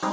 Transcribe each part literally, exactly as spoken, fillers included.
Com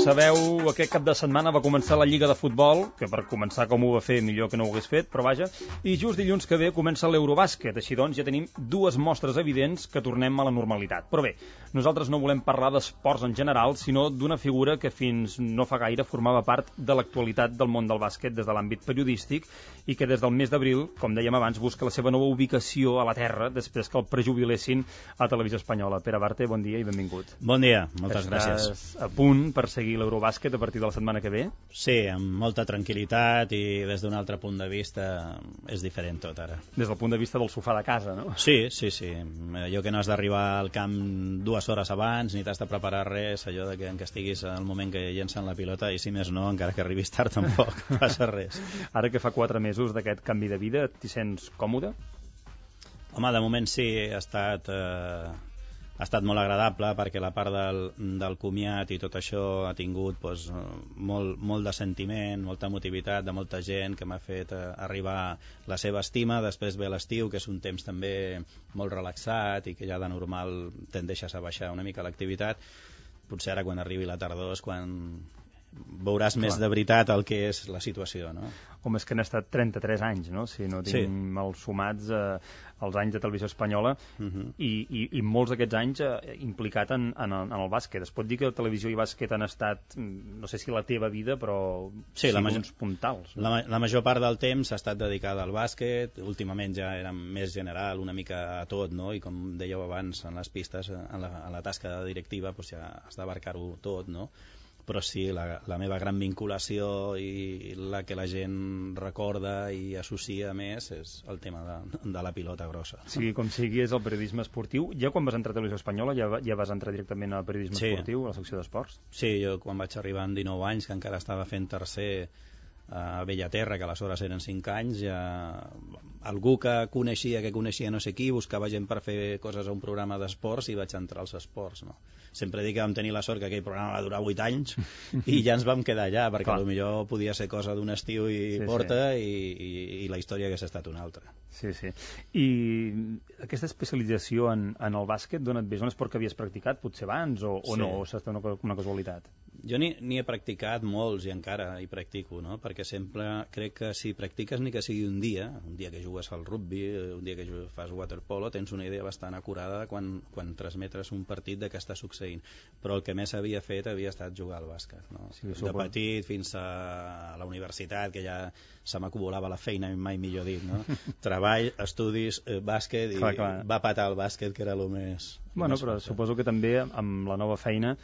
sabeu, aquest cap de setmana va començar la Lliga de Futbol, que per començar com ho va fer millor que no ho hagués fet, però vaja, i just dilluns que ve comença l'Eurobàsquet, així doncs ja tenim dues mostres evidents que tornem a la normalitat. Però bé, nosaltres no volem parlar d'esports en general, sinó d'una figura que fins no fa gaire formava part de l'actualitat del món del bàsquet des de l'àmbit periodístic i que des del mes d'abril, com dèiem abans, busca la seva nova ubicació a la Terra després que el prejubilessin a Televisió Espanyola. Pere Barte, bon dia i benvingut. Bon dia, moltes gràcies. Estàs a punt per seguir l'Eurobàsquet a partir de la setmana que ve? Sí, amb molta tranquil·litat i des d'un altre punt de vista és diferent tot ara. Des del punt de vista del sofà de casa, no? Sí, sí, sí. Allò que no has d'arribar al camp dues hores abans ni t'has de preparar res, allò de que, que estiguis al moment que llencen la pilota i si més no, encara que arribis tard tampoc passa res. Ara que fa quatre mesos d'aquest canvi de vida, t'hi sents còmode? Home, de moment sí, ha estat... Eh... ha estat molt agradable perquè la part del, del comiat i tot això ha tingut doncs, molt, molt de sentiment, molta emotivitat de molta gent que m'ha fet eh, arribar la seva estima. Després ve l'estiu, que és un temps també molt relaxat i que ja de normal tendeixes a baixar una mica l'activitat. Potser ara quan arribi la tardor és quan veuràs Clar. més de veritat el que és la situació, no? Home, és que han estat trenta-tres anys, no? Si no tinc sí. els sumats eh, els anys de Televisió Espanyola uh -huh. i, i, i molts d'aquests anys eh, implicat en, en, el, en el bàsquet. Es pot dir que televisió i bàsquet han estat, no sé si la teva vida, però sí, sí la major, uns puntals. No? La, la major part del temps ha estat dedicada al bàsquet. Últimament ja era més general, una mica a tot, no? I com dèieu abans, en les pistes, en la, en la tasca directiva, doncs ja has d'abarcar-ho tot, no? Però sí, la, la meva gran vinculació i la que la gent recorda i associa més és el tema de, de la pilota grossa. Sigui com sigui, és el periodisme esportiu. Ja quan vas entrar a Televisió Espanyola ja, ja vas entrar directament al periodisme sí. esportiu, a la secció d'esports? Sí, jo quan vaig arribar amb dinou anys, que encara estava fent tercer a Bellaterra, que aleshores eren cinc anys, ja algú que coneixia que coneixia no sé qui, buscava gent per fer coses a un programa d'esports i vaig entrar als esports, no? Sempre dic que vam tenir la sort que aquell programa va durar vuit anys i ja ens vam quedar allà, perquè potser podia ser cosa d'un estiu i sí, porta sí. I, i, i la història hagués estat una altra. Sí, sí. I aquesta especialització en, en el bàsquet, d'on et ve? És un esport que havies practicat potser abans o, o sí. no? O s'ha estat una, una casualitat? Jo n'hi he practicat molts i encara hi practico, no? Perquè sempre crec que si practiques ni que sigui un dia, un dia que jugues al rugby, un dia que fas waterpolo, tens una idea bastant acurada quan, quan transmetres un partit de què està succeint. Però el que més havia fet havia estat jugar al bàsquet, no? Sí, de petit fins a la universitat, que ja se m'acumulava la feina, mai millor dit, no? Treball, estudis, eh, bàsquet, i clar, clar. va patar el bàsquet, que era el més... Bueno, però fort. Suposo que també amb la nova feina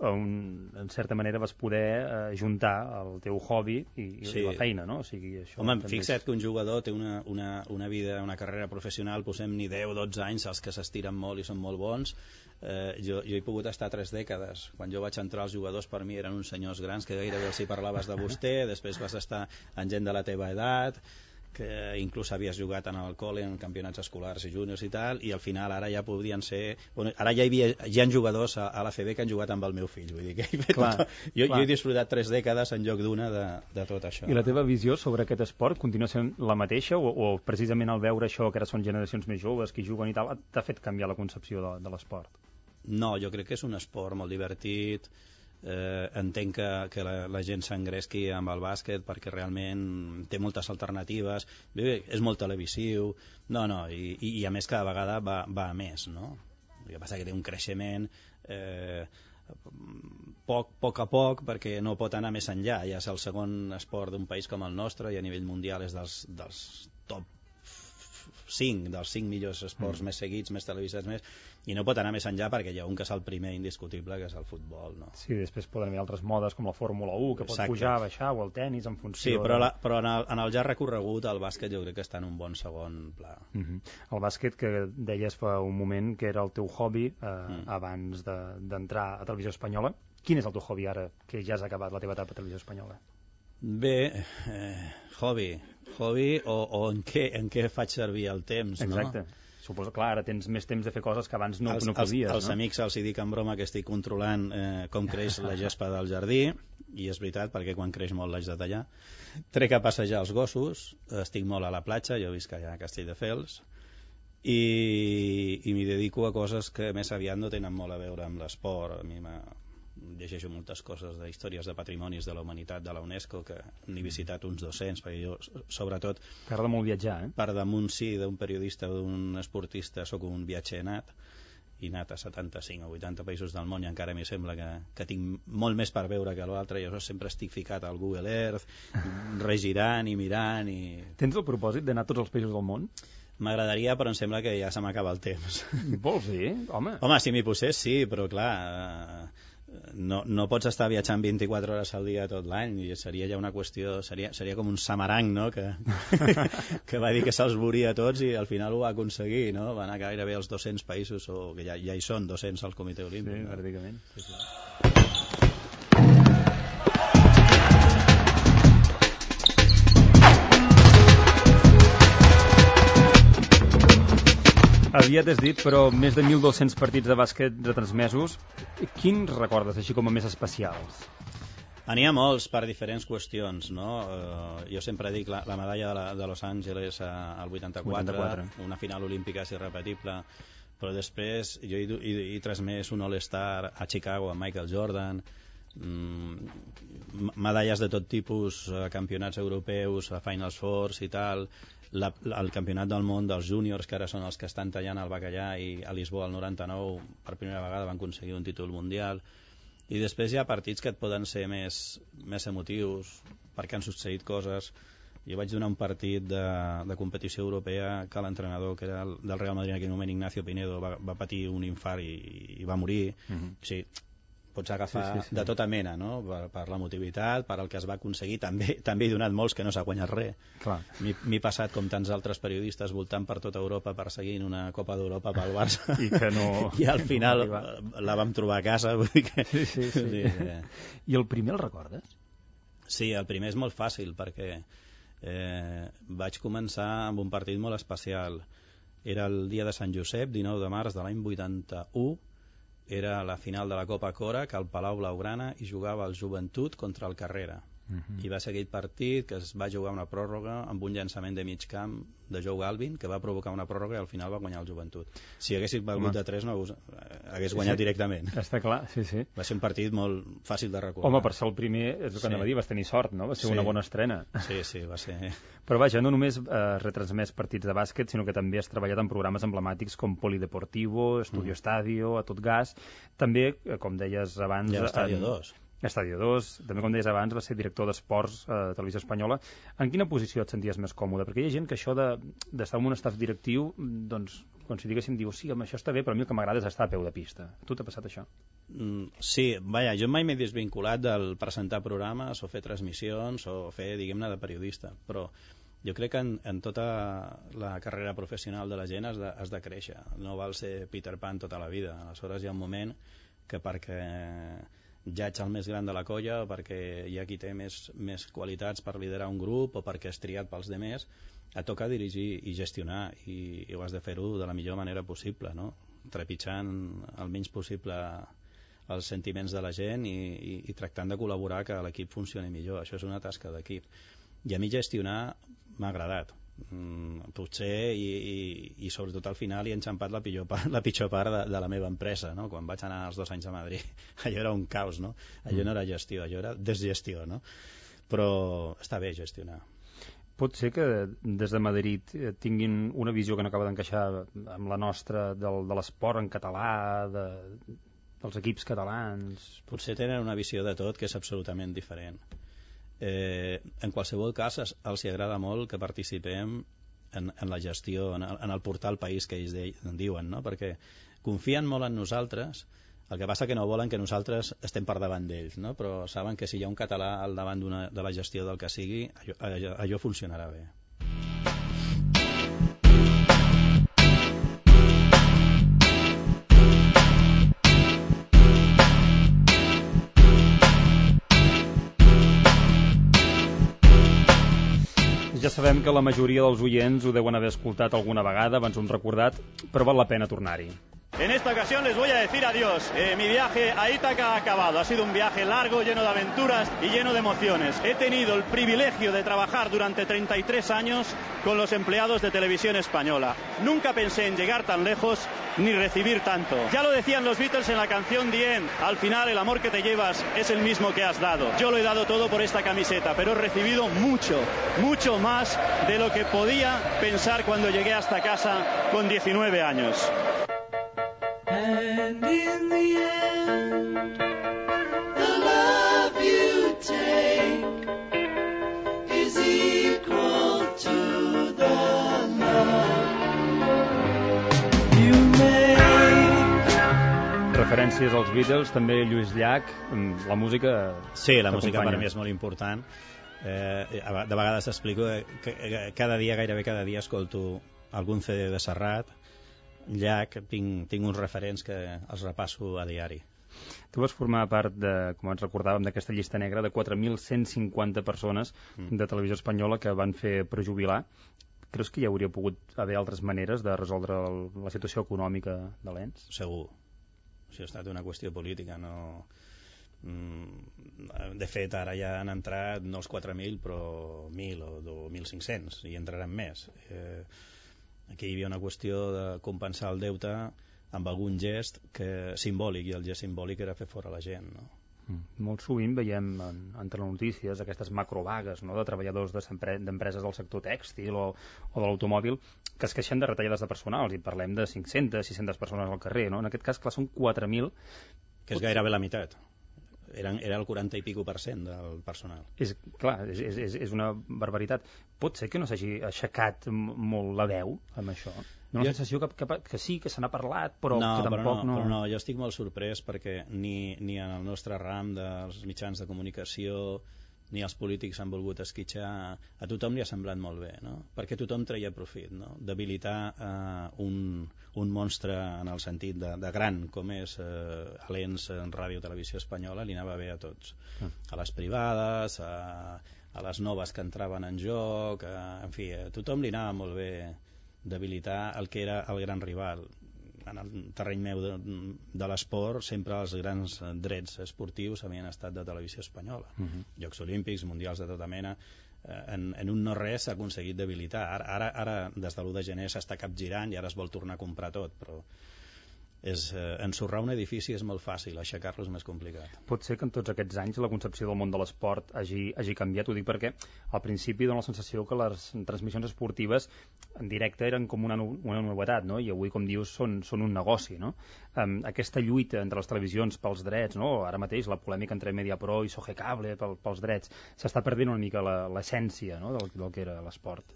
un, en certa manera vas poder eh, juntar el teu hobby i, sí. i la feina, no? O sigui, això Home, fixa't és... que un jugador té una, una, una vida, una carrera professional, posem ni deu o dotze anys, els que s'estiren molt i són molt bons. Eh, jo, jo he pogut estar tres dècades. Quan jo vaig entrar, els jugadors per mi eren uns senyors grans que gairebé els hi parlaves de vostè, després vas estar amb gent de la teva edat, que inclús havies jugat en el col·le, en campionats escolars i júniors i tal, i al final ara ja podrien ser... Bueno, ara ja hi havia hi ha jugadors a, a l'A F B que han jugat amb el meu fill, vull dir que he fet clar, tot... jo, jo he disfrutat tres dècades en lloc d'una de, de tot això. I la teva visió sobre aquest esport continua sent la mateixa o, o precisament al veure això, que ara són generacions més joves que juguen i tal, t'ha fet canviar la concepció de, de l'esport? No, jo crec que és un esport molt divertit. Eh, entenc que, que la, la gent s'engresqui amb el bàsquet perquè realment té moltes alternatives. Bé, bé, és molt televisiu, no, no, i, i, i a més cada vegada va, va a més, no? El que passa que té un creixement eh, poc, poc a poc, perquè no pot anar més enllà. Ja és el segon esport d'un país com el nostre i a nivell mundial és dels, dels top cinc, dels cinc millors esports mm. més seguits, més televisats, més, i no pot anar més enllà perquè hi ha un que és el primer indiscutible, que és el futbol, no? Sí, després poden haver altres modes com la Fórmula u, que pot Exacte. pujar, baixar, o el tennis en funció... Sí, però, de... la, però en, el, en el ja recorregut el bàsquet jo crec que està en un bon segon pla. Mm -hmm. El bàsquet, que deies fa un moment que era el teu hobby eh, mm. abans d'entrar de, a Televisió Espanyola. Quin és el teu hobby ara, que ja has acabat la teva etapa a Televisió Espanyola? Bé, eh, hobby, hobby o, o en, què, en què faig servir el temps, Exacte. no? Suposo, clar, ara tens més temps de fer coses que abans no, els, no podies, els, els no? amics els hi dic en broma que estic controlant eh, com creix la gespa del jardí, i és veritat, perquè quan creix molt l'haig de tallar. Trec a passejar els gossos, estic molt a la platja, jo visc allà a Castelldefels, i, i m'hi dedico a coses que més aviat no tenen molt a veure amb l'esport. A mi llegeixo moltes coses de històries de patrimonis de la humanitat de la UNESCO, que n'he visitat uns dos-cents, perquè jo, sobretot... T'agrada molt viatjar, eh? Per damunt, sí, d'un periodista o d'un esportista, sóc un viatger nat, i anat a setanta-cinc o vuitanta països del món, i encara m'hi sembla que, que tinc molt més per veure que l'altre, i jo sempre estic ficat al Google Earth, regirant i mirant... I... Tens el propòsit d'anar a tots els països del món? M'agradaria, però em sembla que ja se m'acaba el temps. Vols dir? Home, Home, si m'hi posés, sí, però clar... Eh, No, no pots estar viatjant vint-i-quatre hores al dia tot l'any, i seria ja una qüestió, seria, seria com un samarang, no?, que, que va dir que se'ls voria tots i al final ho va aconseguir, no?, va anar gairebé als dos-cents països, o que ja, ja hi són dos-cents al Comitè Olímpic. Sí, no? pràcticament. Sí, sí. Aviat has dit, però més de mil dos-cents partits de bàsquet retransmesos. Quins recordes, així com a més especials? N'hi ha molts per diferents qüestions, no? Uh, jo sempre dic la, la medalla de, la, de Los Angeles uh, al vuitanta-quatre, vuitanta-quatre, una final olímpica és irrepetible, però després jo he, he, he transmès un All-Star a Chicago amb Michael Jordan, mm, medalles de tot tipus, uh, campionats europeus, a Finals Fours i tal... La, la, el campionat del món dels júniors, que ara són els que estan tallant el bacallà, i a Lisboa el noranta-nou per primera vegada van aconseguir un títol mundial, i després hi ha partits que et poden ser més, més emotius perquè han succeït coses. Jo vaig donar un partit de, de competició europea que l'entrenador, que era el, del Real Madrid en aquell moment, Ignacio Pinedo, va, va patir un infart i, i va morir. Uh-huh. O sigui, pots agafar sí, sí, sí. de tota mena, no? Per, per l'emotivitat, per el que es va aconseguir. També, també he donat molts que no s'ha guanyat res. M'he passat, com tants altres periodistes, voltant per tota Europa perseguint una Copa d'Europa pel Barça. I que no... I al final no la vam trobar a casa. Vull dir que... Sí, sí, sí. sí eh... I el primer el recordes? Sí, el primer és molt fàcil, perquè eh, vaig començar amb un partit molt especial. Era el dia de Sant Josep, dinou de març de l'any vuitanta-u, era la final de la Copa Cora, que al Palau Blaugrana hi jugava el Joventut contra el Carrera. Uh-huh. I va ser aquell partit que es va jugar una pròrroga amb un llançament de mig camp de Joe Galvin, que va provocar una pròrroga i al final va guanyar el Joventut. Si haguessis valgut de tres no hagués guanyat sí, directament. Està clar, sí, sí. Va ser un partit molt fàcil de recordar. Home, per ser el primer, és el que sí. anava a dir, vas tenir sort, no? Va ser sí. una bona estrena. Sí, sí, va ser... Però vaja, no només eh, retransmès partits de bàsquet, sinó que també has treballat en programes emblemàtics com Polideportivo, Estudio mm. Estadio, A Tot Gas. També, com deies abans... I Estadio dos. Estadio dos, també com deies abans, va ser director d'esports a eh, Televisió Espanyola. En quina posició et senties més còmode? Perquè hi ha gent que això d'estar de, en un staff directiu, doncs, com si diguéssim, diu, sí, home, això està bé, però a mi el que m'agrada és estar a peu de pista. A tu t'ha passat això? Mm, sí, vaja, jo mai m'he desvinculat del presentar programes o fer transmissions o fer, diguem-ne, de periodista, però jo crec que en, en tota la carrera professional de la gent has de, has de créixer. No val ser Peter Pan tota la vida. Aleshores hi ha un moment que perquè ja ets el més gran de la colla, o perquè hi ha qui té més, més qualitats per liderar un grup, o perquè és triat pels demés, et toca dirigir i gestionar, i, i ho has de fer-ho de la millor manera possible, no? Trepitjant el menys possible els sentiments de la gent i, i, i tractant de col·laborar que l'equip funcioni millor. Això és una tasca d'equip. I a mi gestionar m'ha agradat. Mm, potser i, i, i sobretot al final hi he enxampat la pitjor part, la pitjor part de, de la meva empresa, no? Quan vaig anar els dos anys a Madrid allò era un caos, no? Allò no era gestió, allò era desgestió, no? Però està bé gestionar. Pot ser que des de Madrid tinguin una visió que no acaba d'encaixar amb la nostra del, de l'esport en català, de, dels equips catalans. Potser tenen una visió de tot que és absolutament diferent. Eh, en qualsevol cas els hi agrada molt que participem en, en la gestió, en el, en el portal país que ells de, en diuen, no? Perquè confien molt en nosaltres, el que passa que no volen que nosaltres estem per davant d'ells, no? Però saben que si hi ha un català al davant de la gestió del que sigui, allò, allò, allò funcionarà bé. Ja sabem que la majoria dels oients ho deuen haver escoltat alguna vegada, abans ho han recordat, però val la pena tornar-hi. En esta ocasión les voy a decir adiós. Eh, mi viaje a Ítaca ha acabado. Ha sido un viaje largo, lleno de aventuras y lleno de emociones. He tenido el privilegio de trabajar durante treinta y tres años con los empleados de Televisión Española. Nunca pensé en llegar tan lejos ni recibir tanto. Ya lo decían los Beatles en la canción The End. Al final el amor que te llevas es el mismo que has dado. Yo lo he dado todo por esta camiseta, pero he recibido mucho, mucho más de lo que podía pensar cuando llegué hasta casa con diecinueve años. And in the end, the love you take is equal to the love you make. Referències als Beatles, també Lluís Llach, la música... Sí, la música per mi és molt important. Eh, de vegades explico que cada dia, gairebé cada dia, escolto algun C D de Serrat, Llach, tinc, tinc uns referents que els repasso a diari. Tu vas formar part, de, com ens recordàvem, d'aquesta llista negra de quatre mil cent cinquanta persones mm. de Televisió Espanyola que van fer prejubilar. Creus que hi hauria pogut haver altres maneres de resoldre el, la situació econòmica de l'ens? Segur. Això ha estat una qüestió política, no... De fet, ara ja han entrat no els quatre mil, però mil o mil cinc-cents, i entraran més. Eh, Aquí hi havia una qüestió de compensar el deute amb algun gest que simbòlic, i el gest simbòlic era fer fora la gent, no? Mm. Molt sovint veiem en, entre les notícies aquestes macrovagues, no?, de treballadors d'empreses del sector tèxtil o, o de l'automòbil que es queixen de retallades de personal, i parlem de cinc-centes, sis-centes persones al carrer, no? En aquest cas, clar, són quatre mil. Que és gairebé la meitat. Eren, era el quaranta i pico per cent del personal. És, clar, és, és, és una barbaritat. Pot ser que no s'hagi aixecat molt la veu amb això? Una jo... sensació que, que, que sí, que se n'ha parlat, però no, que tampoc però no, no... Però no, jo estic molt sorprès perquè ni, ni en el nostre ram dels mitjans de comunicació ni els polítics han volgut esquitxar. A tothom li ha semblat molt bé, no? Perquè tothom treia profit, no? Debilitar eh, un, un monstre en el sentit de, de gran com és eh, l'ens en Ràdio Televisió Espanyola li anava bé a tots, ah. a les privades, a, a les noves que entraven en joc, a, en fi, a tothom li anava molt bé debilitar el que era el gran rival. En el terreny meu de, de l'esport sempre els grans drets esportius havien estat de Televisió Espanyola. Uh-huh. Jocs Olímpics, mundials de tota mena. En, en un no res s'ha aconseguit debilitar. Ara, ara, ara des de l'u de gener s'està capgirant i ara es vol tornar a comprar tot, però és, eh, ensorrar un edifici és molt fàcil, aixecar-lo és més complicat. Pot ser que en tots aquests anys la concepció del món de l'esport hagi, hagi canviat, ho dic perquè al principi dona la sensació que les transmissions esportives en directe eren com una, una novetat, no? I avui, com dius, són, són un negoci, no? Um, aquesta lluita entre les televisions pels drets, no? Ara mateix la polèmica entre Mediapro i Sogecable pel, pels drets, s'està perdent una mica l'essència, no?, del, del que era l'esport.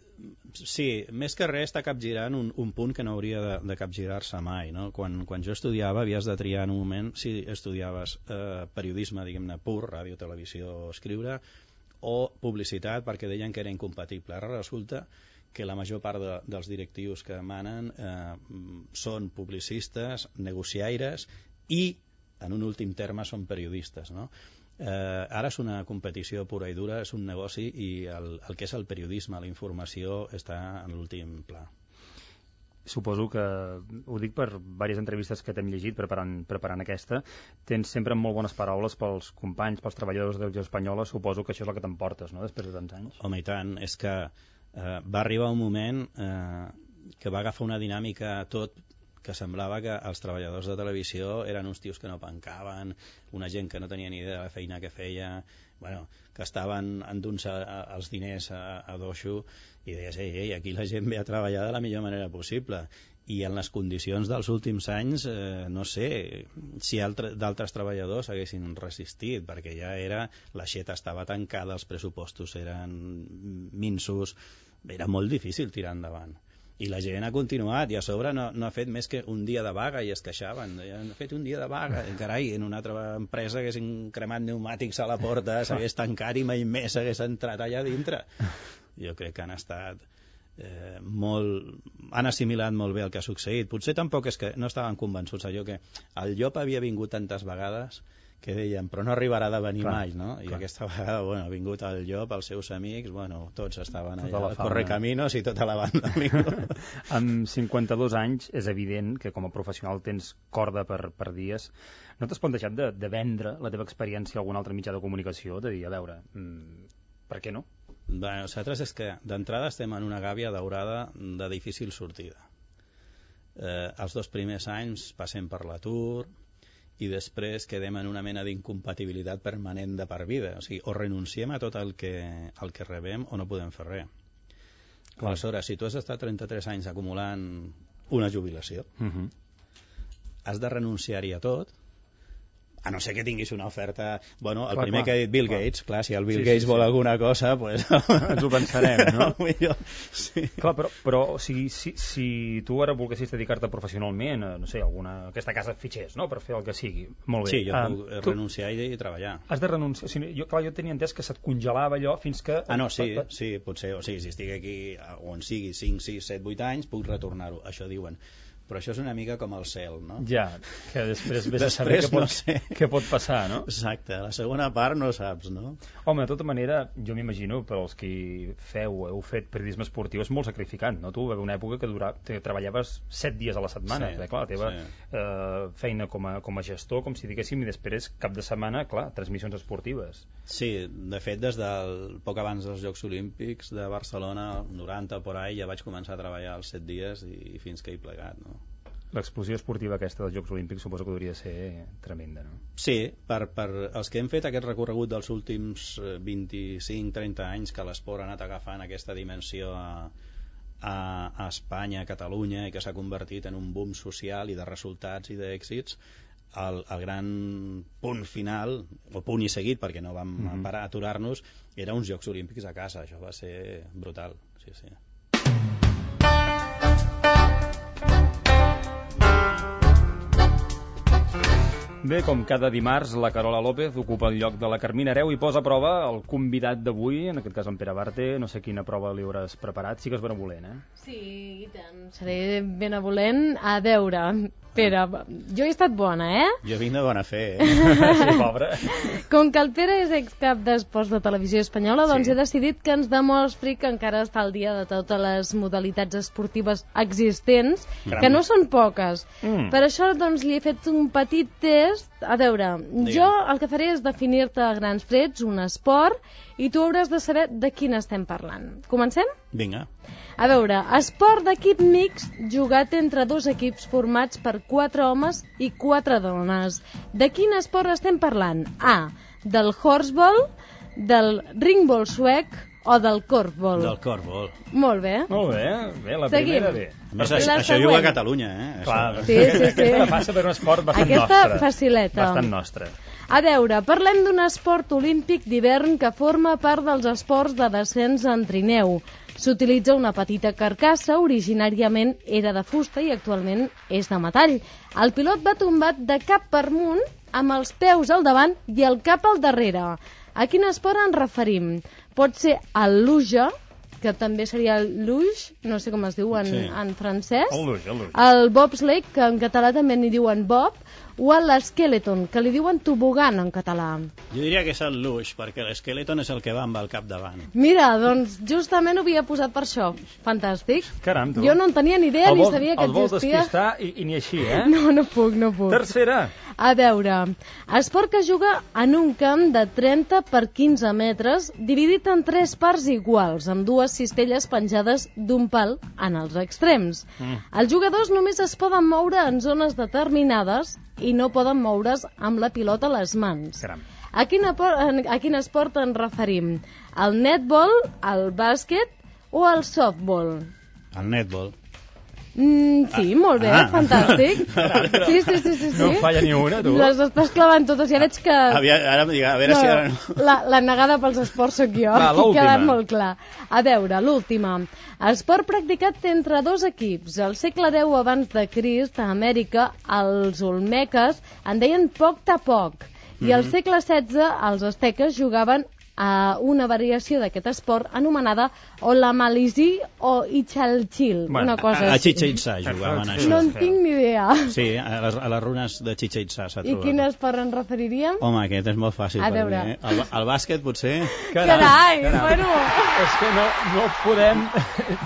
Sí, més que res està capgirant un, un punt que no hauria de, de capgirar-se mai, no? Quan, quan jo estudiava havies de triar en un moment si estudiaves eh, periodisme, diguem-ne, pur, ràdio, televisió, escriure, o publicitat, perquè deien que era incompatible. Ara resulta que la major part de, dels directius que manen eh, són publicistes, negociaires i, en un últim terme, són periodistes, no? Eh, ara és una competició pura i dura, és un negoci, i el, el que és el periodisme, la informació, està en l'últim pla. Suposo que, ho dic per diverses entrevistes que t'hem llegit preparant, preparant aquesta, tens sempre molt bones paraules pels companys, pels treballadors de Televisió Espanyola. Suposo que això és el que t'emportes, no?, després de tants anys. Home, i tant, és que eh, va arribar un moment eh, que va agafar una dinàmica tot que semblava que els treballadors de televisió eren uns tios que no pencaven, una gent que no tenia ni idea de la feina que feia, bueno, que estaven endunçant els diners a, a doixo, i deies, ei, ei, aquí la gent ve a treballar de la millor manera possible. I en les condicions dels últims anys, eh, no sé si altre, d'altres treballadors haguessin resistit, perquè ja era, l'aixeta estava tancada, els pressupostos eren minsos, era molt difícil tirar endavant. I la gent ha continuat, i a sobre no, no ha fet més que un dia de vaga, i es queixaven. Han fet un dia de vaga, carai, en una altra empresa haguessin cremat pneumàtics a la porta, s'hagués tancat i mai més s'hagués entrat allà dintre. Jo crec que han estat eh, molt... han assimilat molt bé el que ha succeït. Potser tampoc és que no estaven convençuts, allò que el llop havia vingut tantes vegades que deien, però no arribarà de venir clar, mai, no? I clar. aquesta vegada, bueno, ha vingut el llop, els seus amics, bueno, tots estaven Tota allà, la al Correcaminos i tota la banda. Amb cinquanta-dos anys és evident que com a professional tens corda per, per dies. No t'has plantejat de, de vendre la teva experiència a algun altre mitjà de comunicació? De dir, a veure, mmm, per què no? Bé, nosaltres és que d'entrada estem en una gàbia daurada de difícil sortida. Eh, els dos primers anys passem per l'atur, i després quedem en una mena d'incompatibilitat permanent de per vida. O sigui, o renunciem a tot el que, el que rebem o no podem fer res. Clar. Aleshores, si tu has estat trenta-tres anys acumulant una jubilació, Uh-huh. has de renunciar-hi a tot, a no ser que tinguis una oferta... Bueno, el Clar, primer clar, que ha dit Bill clar. Gates, clar, si el Bill Sí, Gates sí, vol sí. alguna cosa, pues... Ens ho pensarem, no? Millor, sí. Clar, però, però o sigui, si, si tu ara volguessis dedicar-te professionalment a, no sé, alguna, aquesta casa fitxers, no?, per fer el que sigui, molt bé. Sí, jo Ah, puc tu renunciar i, i treballar. Has de renunciar... O sigui, jo, clar, jo tenia entès que se't congelava allò fins que... Ah, no, sí, sí, potser, o sigui, si estic aquí on sigui cinc, sis, set, vuit anys, puc retornar-ho, això diuen. Però això és una mica com el cel, no? Ja, que després vés a saber Després què pot, no sé. què pot passar, no? Exacte, la segona part no saps, no? Home, de tota manera, jo m'imagino, per als que feu, heu fet periodisme esportiu, és molt sacrificant, no? Tu va haver una època que, dura, que treballaves set dies a la setmana, Sí, perquè, clar, la teva sí. eh, feina com a, com a gestor, com si diguéssim, i després cap de setmana, clar, transmissions esportives. Sí, de fet, des del poc abans dels Jocs Olímpics de Barcelona, noranta, por ahí, ja vaig començar a treballar els set dies i fins que he plegat, no? L'explosió esportiva aquesta dels Jocs Olímpics suposo que hauria de ser tremenda, no? Sí, per, per els que hem fet aquest recorregut dels últims vint-i-cinc trenta anys que l'esport ha anat agafant aquesta dimensió a, a, a Espanya, a Catalunya, i que s'ha convertit en un boom social i de resultats i d'èxits, el, el gran punt final, o punt i seguit, perquè no vam mm-hmm. parar a aturar-nos, era uns Jocs Olímpics a casa. Això va ser brutal, sí, sí. Bé, com cada dimarts, la Carola López ocupa el lloc de la Carmina Hereu i posa a prova el convidat d'avui, en aquest cas en Pere Barte. No sé quina prova li hauràs preparat, sí que és benevolent, eh? Sí, i tant, seré benevolent. A veure, Pere, jo he estat bona, eh? Jo vinc de bona fe, eh? Sí, pobre. Com que el Pere és excap d'esports de Televisió Espanyola, doncs Sí. he decidit que ens demostri que encara està al dia de totes les modalitats esportives existents, Caram. que no són poques. Mm. Per això, doncs, li he fet un petit test. A veure, Digue'm. jo el que faré és definir-te a grans trets un esport i tu hauràs de saber de quin estem parlant. Comencem? Vinga. A veure, esport d'equip mixt jugat entre dos equips formats per quatre homes i quatre dones. De quin esport estem parlant? A. Del horseball, del ringball suec o del korfball. Del korfball. Molt bé. Molt bé, bé, la Seguim. primera bé. A més, La això, això següent. juga a Catalunya, eh? Clar, Això. Sí, sí, sí. Aquesta passa per un esport bastant Aquesta nostre. facileta. Bastant nostre. A veure, parlem d'un esport olímpic d'hivern que forma part dels esports de descens en trineu. S'utilitza una petita carcassa, originàriament era de fusta i actualment és de metall. El pilot va tombat de cap per amunt, amb els peus al davant i el cap al darrere. A quin esport ens referim? Pot ser el luge, que també seria el luge, no sé com es diu en, Sí. en francès, El luge, el luge. el bobsleigh, que en català també n'hi diuen bob, o l'esqueleton, que li diuen tobogan en català. Jo diria que és el luge, perquè l'esqueleton és el que va amb el cap davant. Mira, doncs justament ho havia posat per això. Fantàstic. Caram, tu. Jo no en tenia ni idea, El ni vol- sabia que el vol existia. despistar i, i ni així, eh? No, no puc, no puc. Tercera. A veure, esport que juga en un camp de trenta per quinze metres, dividit en tres parts iguals, amb dues cistelles penjades d'un pal en els extrems. Mm. Els jugadors només es poden moure en zones determinades i no poden moure's amb la pilota a les mans. Caram. A quin, apor- a quin esport ens referim? Al netball, al bàsquet o al softball? El netball. Mm, sí, molt bé, Ah. fantàstic. Sí, sí, sí, sí, sí. No en falla ni una, tu. Les estàs clavant totes, ja veig que... Havia, ara em dic, a veure no, si ara no... la, la negada pels esports sóc jo, Va, aquí ha l'última. quedat molt clar. A veure, l'última. Esport practicat entre dos equips. Al segle deu abans de Crist, a Amèrica, els olmeques en deien poc-ta-poc. I al segle setze, els asteques jugaven a una variació d'aquest esport anomenada o la Malisí o Ichalchil, Bueno, una cosa A, a així. Chichen Itza jugaven això. No en tinc ni idea. Sí, a les, a les runes de Chichen Itza s'ha I trobat. quin esport ens referiríem? Home, aquest és molt fàcil A per veure. mi, eh? El, el bàsquet, potser... Carai, bueno... És que no, no podem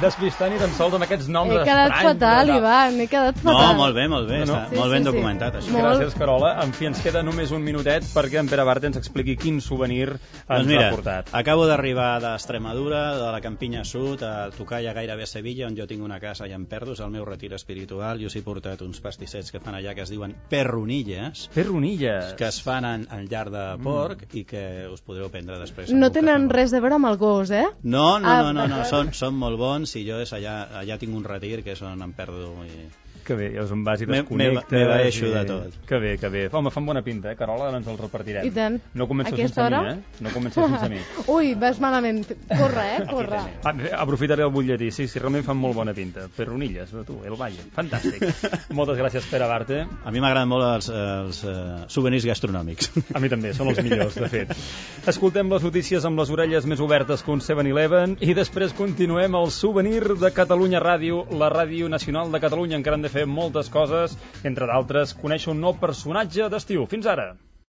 despistar ni tan sols amb aquests noms He quedat estranys. fatal, no. Ivan, he quedat No, fatal. molt bé, molt bé, No, no. està Sí, molt sí, ben sí. documentat, això. Molt. Gràcies, Carola. En fi, ens queda només un minutet perquè en Pere Barte ens expliqui quin souvenir ens Doncs mira, ha portat. acabo d'arribar d'Extremadura, de la Campinya Sud, a tocar ja gairebé a Sevilla, on jo tinc una casa allà en Perdos, el meu retir espiritual, i us he portat uns pastissets que fan allà que es diuen perronilles, Ferronilles. que es fan en, en llar de porc i que us podreu prendre després. No amb un tenen cafè. res a veure amb el gos, eh? No, no, Ah, no, no, no. d'acord. Són, són molt bons i jo és allà, allà tinc un retir que és on em perdo i... Que bé, llavors em vas i Me- desconnectes. me- me baixo i- de tot. Que bé, que bé. Home, fan bona pinta, eh, Carola? Ara ens els repartirem. I tant. No comences Aquesta sense hora? mi, eh? No comences sense mi. Ui, vas malament. Corre, eh? Corre. Ah, aprofitaré el butlletí, sí, sí, realment fan molt bona pinta. Perronilles, tu, el Valle. Fantàstic. Moltes gràcies, Pere Barte. A mi m'agraden molt els, els uh, souvenirs gastronòmics. A mi també, són els millors, de fet. Escoltem les notícies amb les orelles més obertes que un seven eleven i després continuem el souvenir de Catalunya Ràdio, la Ràdio Nacional de Catalunya. Encara hem de fer moltes coses, entre d'altres, conèixer un nou personatge d'estiu. Fins ara!